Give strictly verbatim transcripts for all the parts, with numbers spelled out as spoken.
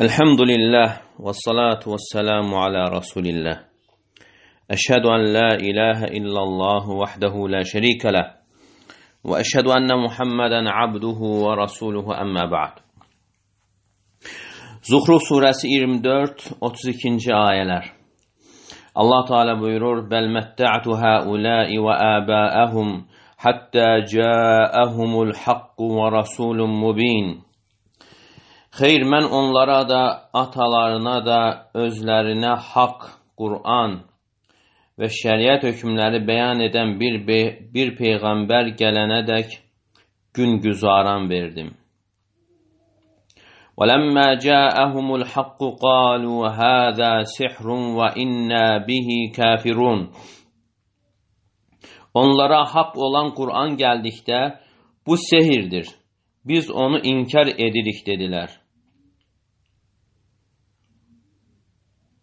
Elhamdülillah ve salatu ve selamu ala Resulillah. Eşhedü en la ilahe illallah vahdehu la şerike leh. Ve eşhedü enne Muhammeden abduhu ve rasuluhu emme ba'd. Zuhruf suresi yirmi dört otuz ikinci ayeler. Allah Teala buyurur: "Bel metta'tu haula'i ve aba'ahum hatta ca'ahumul hakku ve rasulun mubin." Xeyr, mən onlara da, atalarına da, özlərinə haqq, Qur'an və şəriət hökmləri bəyan edən bir, bir peyğəmbər gələnədək gün güzaran verdim. وَلَمَّا جَاءَهُمُ الْحَقُّ قَالُوا هَذَا سِحْرٌ وَإِنَّا بِهِ كَافِرُونَ. Onlara haqq olan Qur'an gəldikdə, bu sehirdir, biz onu inkar edirik dedilər.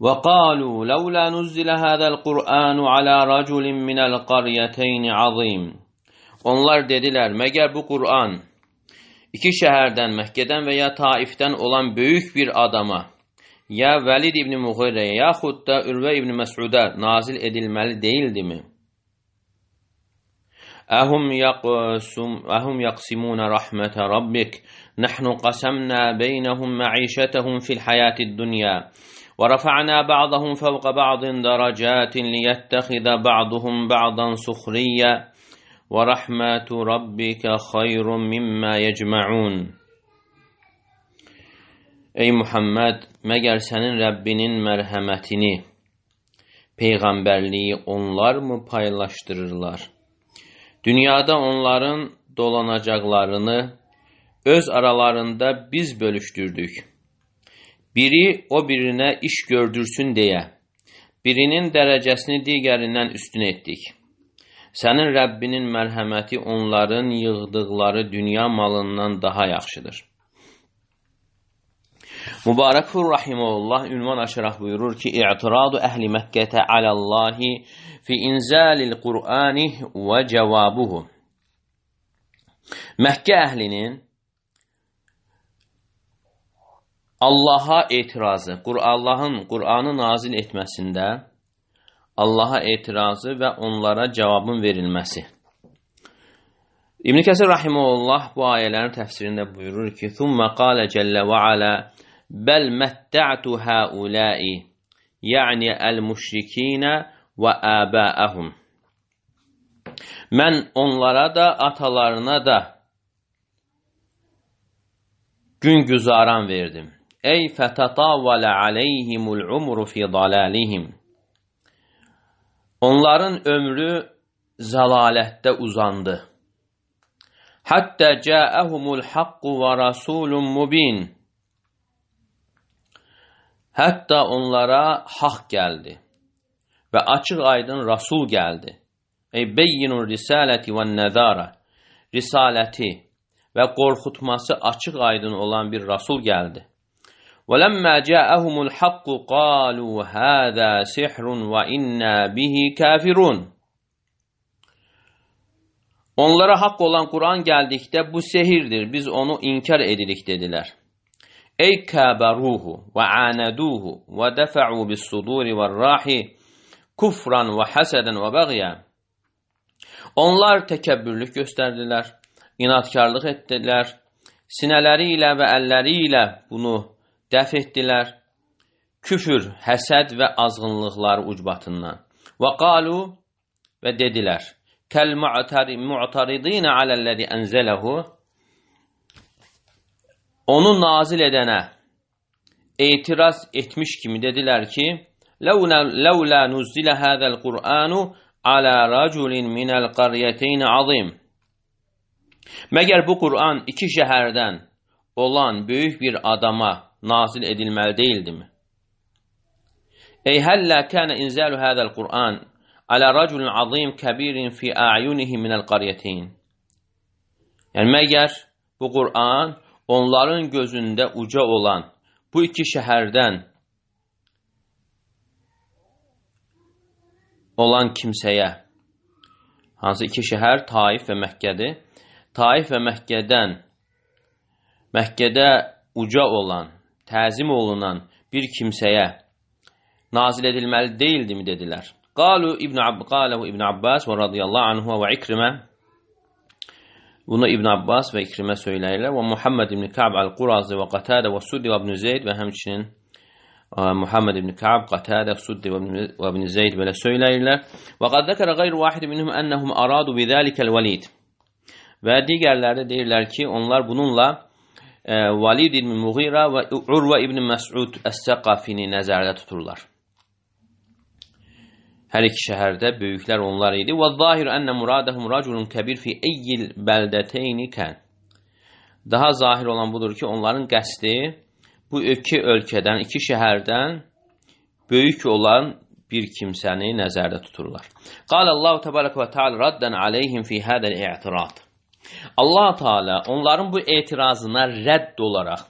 وَقَالُوا لَوْلَا نُزِّلَ هَذَا الْقُرْآنُ عَلَى رَجُلٍ مِنَ الْقَرْيَتَيْنِ عَظِيمٍ. Onlar dedilər, məgər bu Qur'an iki şəhərdən, Məkkədən və ya Taifdən olan böyük bir adama, ya Vəlid ibn Muğirəyə, yaxud da Ürvə ibn Məs'udə nazil edilməli deyildimi? Əhum yaqsum əhum yaqsimun rahmet rabbik nahnu qasamna beynəhum ma'işətəhum fil hayatid dunya və rafa'na ba'dahum fawqa ba'din daracatin liyettaxiza ba'duhum ba'dan suxriyyə və rahmetu rabbika xayrun mimma yecma'un. Ey Muhammed, məgər sənin Rəbbinin mərhəmətini, peyğəmbərliyi onlar mı paylaşdırırlar? Dünyada onların dolanacaqlarını öz aralarında biz bölüşdürdük. Biri o birinə iş gördürsün deyə, birinin dərəcəsini digərindən üstün etdik. Sənin Rəbbinin mərhəməti onların yığdıqları dünya malından daha yaxşıdır. Mübarəkfur Rahimullah ünvan açaraq buyurur ki, İ'tiradu əhli Məkkətə aləllahi fi inzalil Qur'ani və cəvabuhu. Məkkə əhlinin Allaha etirazı, Allahın Qur'anı nazil etməsində Allaha etirazı və onlara cavabın verilməsi. İbn Kəsir Rahimullah bu ayələrin təfsirində buyurur ki, "Thumma qala cəllə və alə bəl mətta'tu haula'i", yəni əl-müşrikinə və əbəəhum. Mən onlara da, atalarına da gün güzaran verdim. Ey fətatavvələ aleyhimul umru fi dalalihim. Onların ömrü zəlalətdə uzandı. Hatta ca'ahumul haqqu və rasulun mubin. Hətta onlara haqq gəldi və açıq aydın Rasul gəldi. Ey beyyinur risaləti və nəzara. Risaləti və qorxutması açıq aydın olan bir Rasul gəldi. وَلَمَّا جَاءَهُمُ الْحَقُّ قَالُوا هَذَا سِحْرٌ وَإِنَّا بِهِ كَافِرُونَ. Onlara haqq olan Qur'an gəldikdə bu sehirdir, biz onu inkar edirik dedilər. Ey kəbəruhu və anaduhu və dəfa'u bis-suduri və-rahi kufran və hasadan və bəğya. Onlar təkəbbürlük göstərdilər, inatkarlıq etdilər, sinələri ilə və əlləri ilə bunu dəf etdilər, küfür, həsəd və azğınlıqları ucbatından. Və qalu və dedilər, kəl-mu'taridinə aləl-ləzi ənzələhu, onu nazil edənə etiraz etmiş kimi dedilər ki, ləvlə nuzzilə hədəl Qur'anu alə raculin minəl qaryəteyni azim. Məgər bu Qur'an iki şəhərdən olan böyük bir adama nazil edilməli deyildimi? Ey həllə kənə inzəlu hədəl Qur'an alə raculin azim kəbirin fi a'yunihi minəl qaryəteyn. Yəni, məgər bu Qur'an onların gözündə uca olan bu iki şəhərdən olan kimsəyə, hansı iki şəhər Taif və Məkkədir, Taif və Məkkədən Məkkədə uca olan, təzim olunan bir kimsəyə nazil edilməli deyildimi dedilər. Qalu İbn Abbas İbn Abbas və radiyallahu anhu və İkrimə. Bunu İbn Abbas və İkrimə söyləyirlər. Və Muhammed ibn Ka'b al-Qurazi və Qatada və Suddi və İbn Zeyd və həmçinin Muhammed ibn Ka'b, Qatada, Suddi və İbn Zeyd belə söyləyirlər. Və qad zəkərə qeyru vahid minhum ennehum aradu bizəlikəl Valid. Və digərləri deyirlər ki, onlar bununla e, Valid ibn Mughira və Urva ibn Məs'ud Əs-Səqafini nəzərdə tuturlar. Hər iki şəhərdə böyüklər onlar idi. Və zahir ennə muradəhum raculun kəbir fi eyyil bəldəteyni kən. Daha zahir olan budur ki, onların qəsdi bu iki ölkədən, iki şəhərdən böyük olan bir kimsəni nəzərdə tuturlar. Qala Allahu təbarək və təala raddan aleyhim fi hədəl i'tirad. Allah Teala onların bu etirazına rədd olaraq,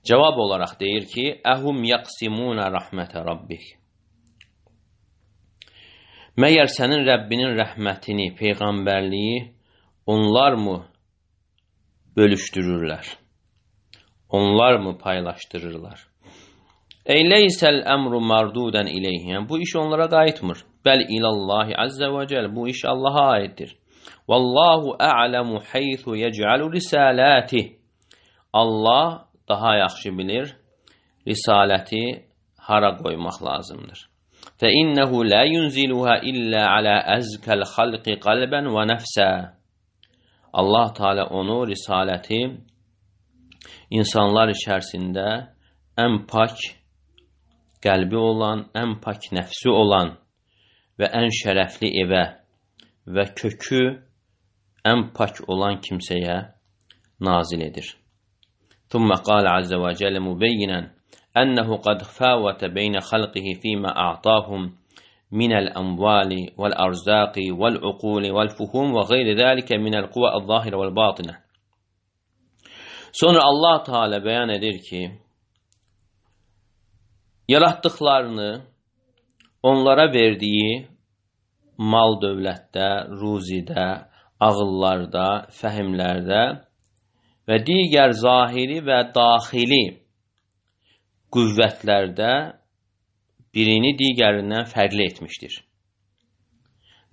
cavab olaraq deyir ki, əhum yaqsimuna rahmətə rabbik. Məyər sənin Rəbbinin rəhmətini, peyğəmbərliyi onlar mı bölüşdürürlər? Onlar mı paylaşdırırlar? Ey leysəl əmru mardudən ileyhi. Yəni, bu iş onlara qayıtmır. Bəl ilallahi azze və cəl. Bu iş Allaha aiddir. Vallahu a'lamu haythu yec'alu risalati. Allah daha yaxşı bilir risaləti hara qoymaq lazımdır. Fe innehu la yunziluha illa ala azkal xalqi qalban və nəfsə. Allah Teala onu risaləti insanlar içərisində ən pak qəlbi olan, ən pak nəfsi olan və ən şərəfli evə və kökü ən pak olan kimsəyə nazil edir. Thumma qala azza və cəllə mübeyyinən ənəhu qad fəvətə beynə xalqihi fīmə a'tahum minəl əmvali vəl-ərzaqi vəl-uquli vəl-fuhum və qeyri zəlikə minəl quvə əl-zahirə vəl-batinə. Sonra Allah Teala bəyan edir ki, yaratdıqlarını onlara verdiyi mal dövlətdə, ruzidə, ağıllarda, fəhimlərdə və digər zahiri və daxili qüvvətlərdə birini digərindən fərqli etmişdir.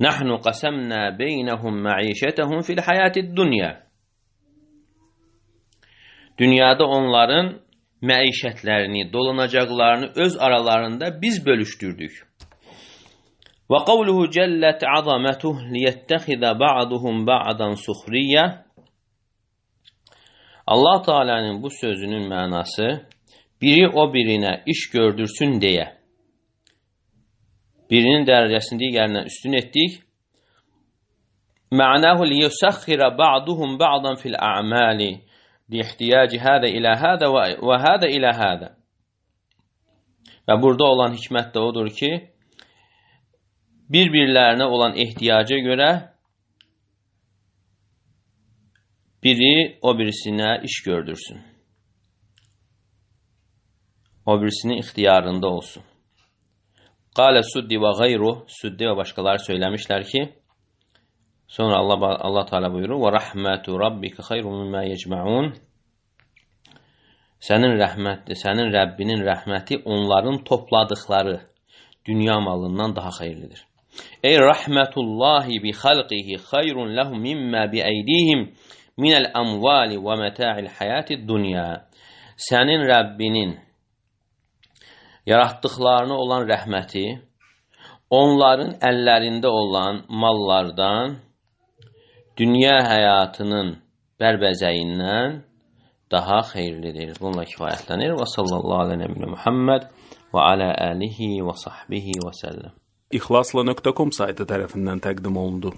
Nəhnu qasamna beynəhum məişətəhum fil həyatid dunya. Dünyada onların məişətlərini, dolanacaqlarını öz aralarında biz bölüşdürdük. Və qavluhu cəllət azamətuh liyettəxidə ba'duhum ba'dan suxriyyə. Allah Teala'nın bu sözünün mənası biri o birinə iş gördürsün deyə. Birinin dərəcəsini digərindən üstün etdik. Mə'nahu liyusəxxirə ba'duhum ba'dan fil a'mali. Lihtiyaci hədə ilə hədə və hədə ilə hədə. Və burada olan hikmət də odur ki, bir-birlərinə olan ehtiyaca görə biri o birisinə iş gördürsün. O birisinin ixtiyarında olsun. Qalə Suddi və qeyru, Suddi və başqaları söyləmişlər ki, sonra Allah, Allah Teala buyurur, və rəhmətu rabbika xeyrun mimma yecma'un. Sənin rəhmətli, sənin Rəbbinin rəhməti onların topladıkları dünya malından daha xeyirlidir. Ey rəhmətullahi bi xalqihi xeyrun lehum mimma bi eydihim minəl əmvali və məta'il həyatid dunya. Sənin Rəbbinin yaratdıqlarına olan rəhməti onların əllərində olan mallardan dünya həyatının bərbəzəyindən daha xeyirlidir. Bununla kifayətlənir. Və sallallahu aleyhi və səlləm Muhammed və alə alihi və sahbihi və səlləm. İxlasla nöqtə com saytı tərəfindən təqdim olundu.